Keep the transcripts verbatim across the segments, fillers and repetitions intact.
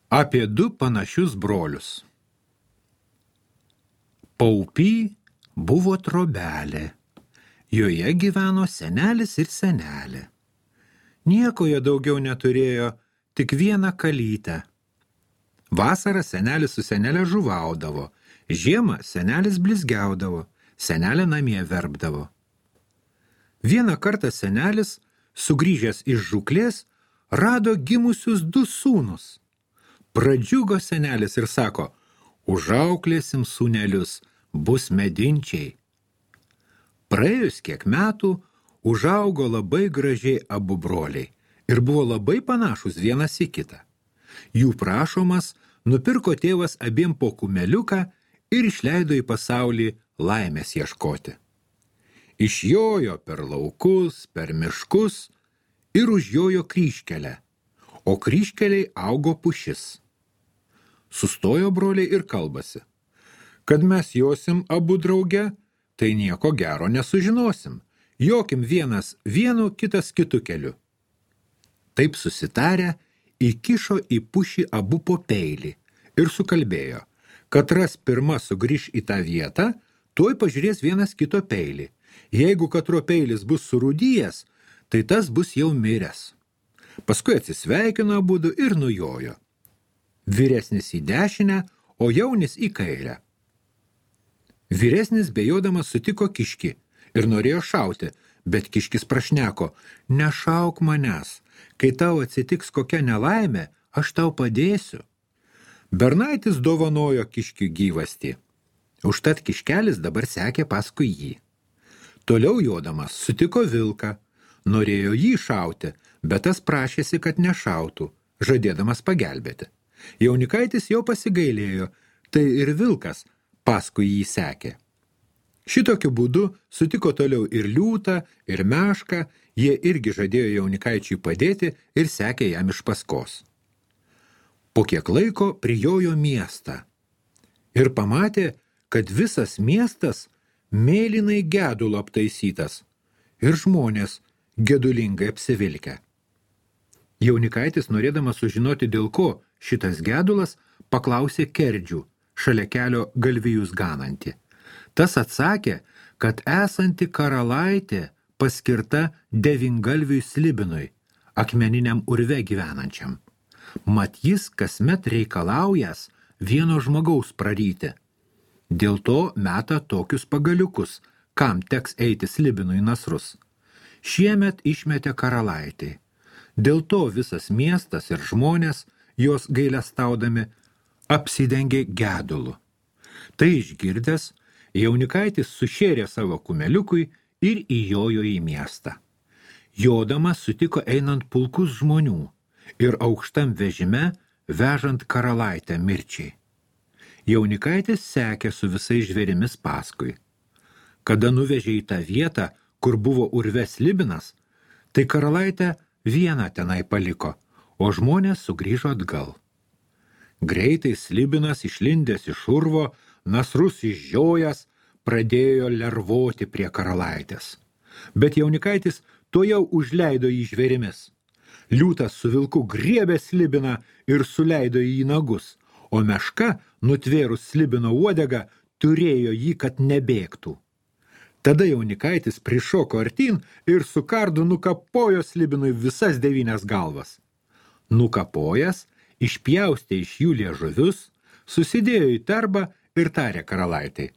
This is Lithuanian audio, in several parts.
Apie du panašius brolius. Paupy buvo trobelė. Joje gyveno senelis ir senelė. Nieko jie daugiau neturėjo, tik vieną kalytę. Vasarą senelis su senelė žuvaudavo, žiemą senelis blizgiaudavo, senelė namie verpdavo. Vieną kartą senelis, sugrįžęs iš žūklės, rado gimusius du sūnus. Pradžiugo senelis ir sako, užauklėsim sūnelius, bus medinčiai. Praėjus kiek metų, užaugo labai gražiai abu broliai ir buvo labai panašus vienas į kitą. Jų prašomas nupirko tėvas abiem po kumeliuką ir išleido į pasaulį laimės ieškoti. Išjojo per laukus, per miškus ir užjojo kryžkelę, o kryžkeliai augo pušis. Sustojo broliai ir kalbasi, kad mes josim abu drauge, tai nieko gero nesužinosim, jokim vienas vienu, kitas kitu keliu. Taip susitarę, įkišo į pušį abu po peilį ir sukalbėjo, kad ras pirma sugrįž į tą vietą, tuoj pažiūrės vienas kito peilį. Jeigu katro peilis bus surūdyjęs, tai tas bus jau miręs. Paskui atsisveikino abudu ir nujojo. Vyresnis į dešinę, o jaunis į kairę. Vyresnis bejodamas sutiko kiškį ir norėjo šauti, bet kiškis prašneko, nešauk manęs, kai tau atsitiks kokia nelaimė, aš tau padėsiu. Bernaitis dovanojo kiškiui gyvastį. Užtat kiškelis dabar sekė paskui jį. Toliau jodamas sutiko vilką, norėjo jį šauti, bet tas prašėsi, kad nešautų, žadėdamas pagelbėti. Jaunikaitis jau pasigailėjo, tai ir vilkas paskui jį sekė. Šitokiu būdu sutiko toliau ir liūtą, ir mešką, jie irgi žadėjo jaunikaičiui padėti ir sekė jam iš paskos. Po kiek laiko prijojo miestą ir pamatė, kad visas miestas mėlynai gedulo aptaisytas ir žmonės gedulingai apsivilkę. Jaunikaitis, norėdamas sužinoti, dėl ko šitas gedulas, paklausė kerdžių, šalia kelio galvijus ganantį. Tas atsakė, kad esanti karalaitė paskirta devyngalviui slibinui, akmeniniam urve gyvenančiam. Mat jis kasmet reikalaujas vieno žmogaus praryti. Dėl to meta tokius pagaliukus, kam teks eiti slibinui nasrus. Šiemet išmetė karalaitį. Dėl to visas miestas ir žmonės, jos gailestaudami, apsidengė gedulu. Tai išgirdęs, jaunikaitis sušėrė savo kumeliukui ir įjojo į miestą. Jodamas sutiko einant pulkus žmonių ir aukštam vežime vežant karalaitę mirčiai. Jaunikaitis sekė su visais žvėrimis paskui. Kada nuvežė į tą vietą, kur buvo urve slibinas, tai karalaitę vieną tenai paliko, o žmonės sugrįžo atgal. Greitai slibinas išlindęs iš urvo, nasrus išžiojęs, pradėjo lervoti prie karalaitės. Bet jaunikaitis tuojau užleido jį žvėrimis. Liūtas su vilku griebė slibiną ir suleido jį į nagus, o meška, nutvėrus slibino uodegą, turėjo jį, kad nebėgtų. Tada jaunikaitis prišoko artyn ir su kardu nukapojo slibinui visas devynias galvas. Nukapojęs, išpjaustė iš jų liežuvius, susidėjo į terbą ir tarė karalaitai.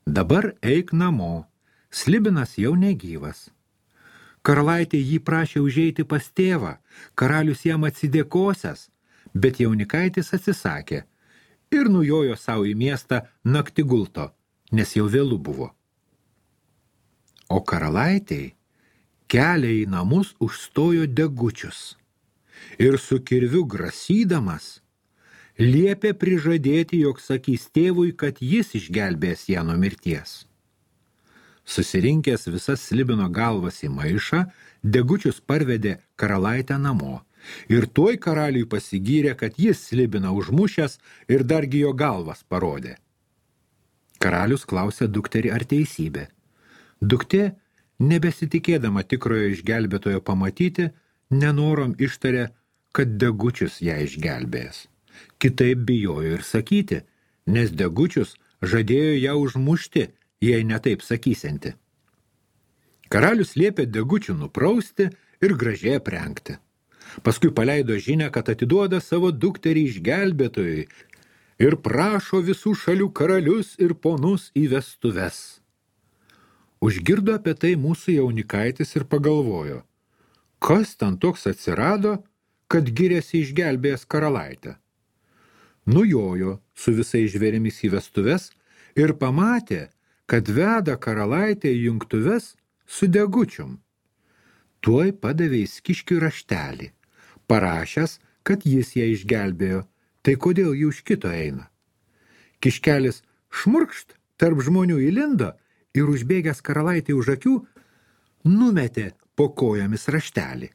Dabar eik namo, slibinas jau negyvas. Karalaitė jį prašė užeiti pas tėvą, karalius jam atsidėkosias, bet jaunikaitis atsisakė ir nujojo savo į miestą naktigulto, nes jau vėlu buvo. O karalaitei kelią į namus užstojo degučius ir su kirviu grasydamas liepė prižadėti, jog sakys tėvui, kad jis išgelbės ją nuo mirties. Susirinkęs visas slibino galvas į maišą, degučius parvedė karalaitę namo ir tuoj karaliui pasigyrė, kad jis slibiną užmušęs ir dargi jo galvas parodė. Karalius klausė dukterį ar teisybė. Duktė, nebesitikėdama tikrojo išgelbėtojo pamatyti, nenorom ištarė, kad degučius ją išgelbėjęs. Kitaip bijojo ir sakyti, nes Degučius žadėjo ją užmušti, jei netaip sakysianti. Karalius liepė Degučių nuprausti ir gražiai aprengti. Paskui paleido žinią, kad atiduoda savo dukterį išgelbėtojui ir prašo visų šalių karalius ir ponus į vestuves. Užgirdo apie tai mūsų jaunikaitis ir pagalvojo, kas ten toks atsirado, kad giriasi išgelbėjęs karalaitę. Nujojo su visais žvėrimis į vestuves ir pamatė, kad veda karalaitę į jungtuves su Degučium. Tuoj padavė Kiškiui raštelį, parašęs, kad jis ją išgelbėjo, tai kodėl ji už kito eina. Kiškelis šmurkšt tarp žmonių įlindo ir užbėgęs karalaitį už akių, numetė po kojomis raštelį.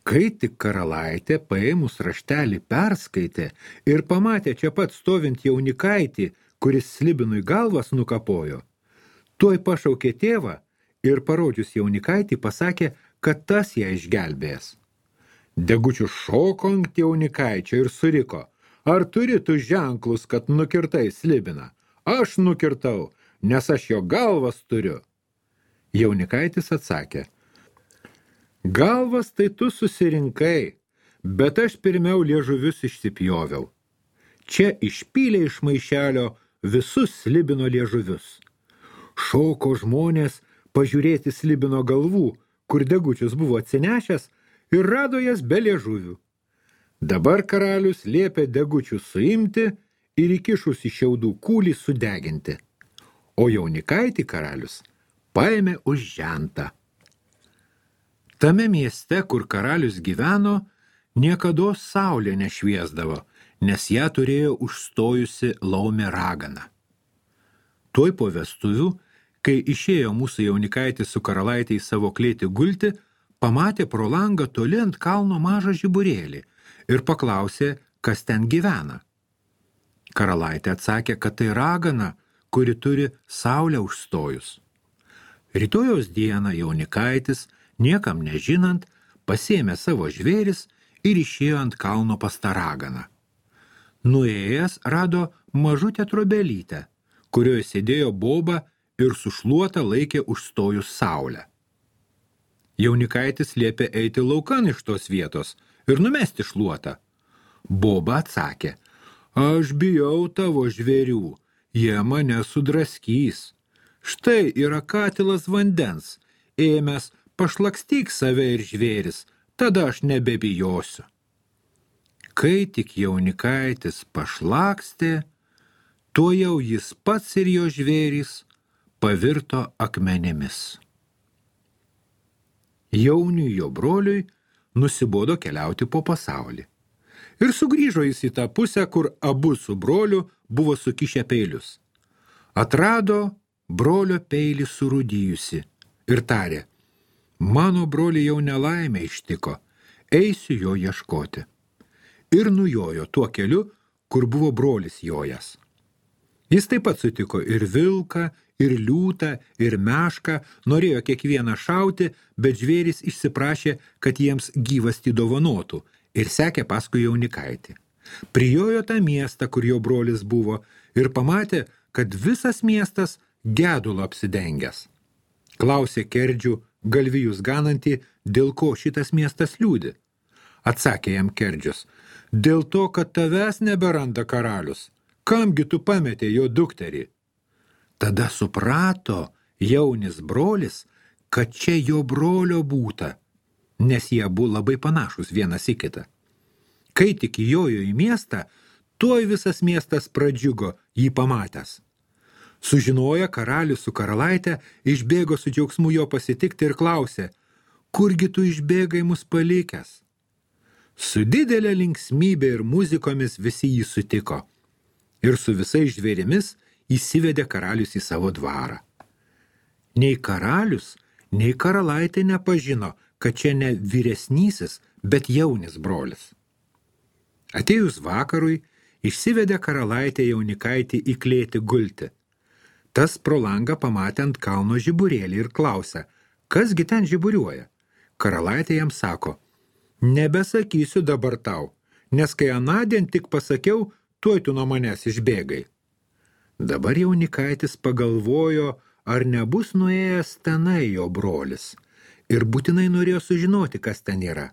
Kai tik karalaitė paėmus raštelį perskaitė ir pamatė čia pat stovint jaunikaitį, kuris Slibinui galvas nukapojo, tuoj pašaukė tėvą ir parodžius jaunikaitį pasakė, kad tas ją išgelbėjęs. Degučius šoko ant jaunikaičio ir suriko, ar turi tu ženklus, kad nukirtai Slibiną? Aš nukirtau, nes aš jo galvas turiu. Jaunikaitis atsakė, galvas tai tu susirinkai, bet aš pirmiau liežuvius išsipjoviau. Čia išpylė iš maišelio visus Slibino liežuvius. Šoko žmonės pažiūrėti Slibino galvų, kur Degučius buvo atsinešęs, ir rado jas be liežuvių. Dabar karalius liepė Degučius suimti ir įkišus į šiaudų kūlį sudeginti. O jaunikaitį karalius paėmė už žentą. Tame mieste, kur karalius gyveno, niekados saulė nešviesdavo, nes ją turėjo užstojusi laumė ragana. Tuoj po vestuvių, kai išėjo mūsų jaunikaitis su karalaitė į savo klėtį gulti, pamatė pro langą toli ant kalno mažą žiburėlį ir paklausė, kas ten gyvena. Karalaitė atsakė, kad tai ragana, kuri turi saulę užstojus. Rytojos dieną jaunikaitis, niekam nežinant, pasėmė savo žvėris ir išėjo ant kalno pas tą raganą. Nuėjęs rado mažutę trobelytę, kurioje sėdėjo boba ir sušluota laikė užstojus saulę. Jaunikaitis liepė eiti laukan iš tos vietos ir numesti šluotą. Boba atsakė, aš bijau tavo žvėrių, jie mane sudraskys. Štai yra katilas vandens, ėmęs pašlakstyk save ir žvėris, tada aš nebebijosiu. Kai tik jaunikaitis pašlakstė, tuojau jis pats ir jo žvėris pavirto akmenimis. Jauniui jo broliui nusibodo keliauti po pasaulį. Ir sugrįžo jis į tą pusę, kur abu su broliu buvo sukišę peilius. Atrado brolio peilį surūdijusi ir tarė, mano broli jau nelaimė ištiko, eisiu jo ieškoti. Ir nujojo tuo keliu, kur buvo brolis jojas. Jis taip pat sutiko ir vilką, ir liūtą, ir mešką, norėjo kiekvieną šauti, bet žvėris išsiprašė, kad jiems gyvastį dovanotų ir sekė paskui jaunikaitį. Prijojo tą miestą, kur jo brolis buvo, ir pamatė, kad visas miestas gedulo apsidengęs. Klausė Kerdžių, galvijus ganantį, dėl ko šitas miestas liūdi. Atsakė jam Kerdžius, dėl to, kad tavęs neberanda karalius. Kamgi tu pametė jo dukterį? Tada suprato jaunis brolis, kad čia jo brolio būta, nes jie buvo labai panašus vienas į kitą. Kai tik įjojo į miestą, tuoj visas miestas pradžiugo jį pamatęs. Sužinoję karalius su karalaitė, išbėgo su džiaugsmu jo pasitikti ir klausė, kurgi tu išbėgai mus palikęs? Su didelė linksmybė ir muzikomis visi jį sutiko. Ir su visais žvėrimis įsivedė karalius į savo dvarą. Nei karalius, nei karalaitė nepažino, kad čia ne vyresnysis, bet jaunis brolis. Atėjus vakarui, išsivedė karalaitė jaunikaitį į klėtį gulti. Tas pro langą pamatė ant kalno žiburėlį ir klausė, kasgi ten žiburiuoja? Karalaitė jam sako, nebesakysiu dabar tau, nes kai anądien tik pasakiau, tuoj tu nuo manęs išbėgai. Dabar jaunikaitis pagalvojo, ar nebus nuėjęs tenai jo brolis, ir būtinai norėjo sužinoti, kas ten yra.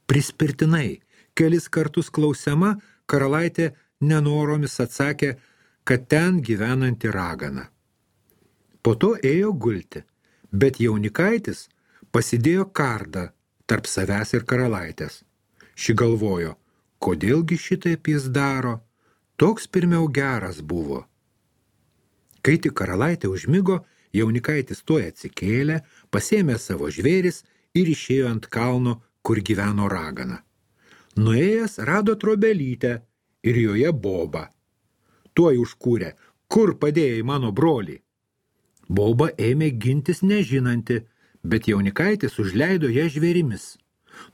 Prispirtinai, kelis kartus klausiama, karalaitė nenoromis atsakė, kad ten gyvenanti ragana. Po to ėjo gulti, bet jaunikaitis pasidėjo kardą tarp savęs ir karalaitės. Ši galvojo, kodėlgi šitaip jis daro, toks pirmiau geras buvo. Kai tik karalaitė užmigo, jaunikaitis tuoj atsikėlė, pasėmė savo žvėris ir išėjo ant kalno, kur gyveno ragana. Nuėjęs rado trobelytę ir joje bobą. Tuoj užkūrė, kur padėjai mano brolį. Boba ėmė gintis nežinanti, bet jaunikaitis užleido ją žvėrimis.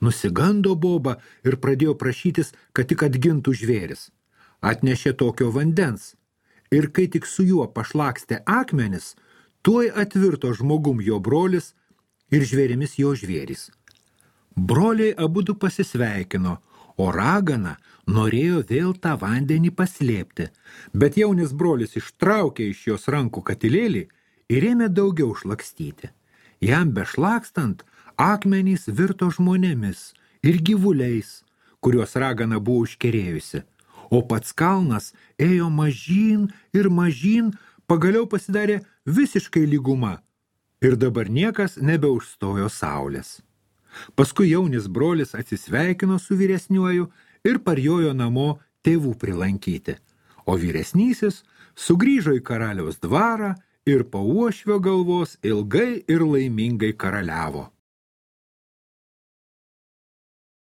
Nusigando boba ir pradėjo prašytis, kad tik atgintų žvėris. Atnešė tokio vandens. Ir kai tik su juo pašlakstė akmenis, tuoj atvirto žmogum jo brolis ir žvėrimis jo žvėris. Broliai abudu pasisveikino, o ragana norėjo vėl tą vandenį paslėpti, bet jaunis brolis ištraukė iš jos rankų katilėlį ir ėmė daugiau šlakstyti. Jam bešlakstant, akmenys virto žmonėmis ir gyvuliais, kuriuos ragana buvo užkerėjusi, o pats kalnas ėjo mažyn ir mažyn, pagaliau pasidarė visiškai lyguma ir dabar niekas nebeužstojo saulės. Paskui jaunis brolis atsisveikino su vyresniuoju ir parjojo namo tėvų prilankyti, o vyresnysis sugrįžo į karaliaus dvarą ir po uošvio galvos ilgai ir laimingai karaliavo.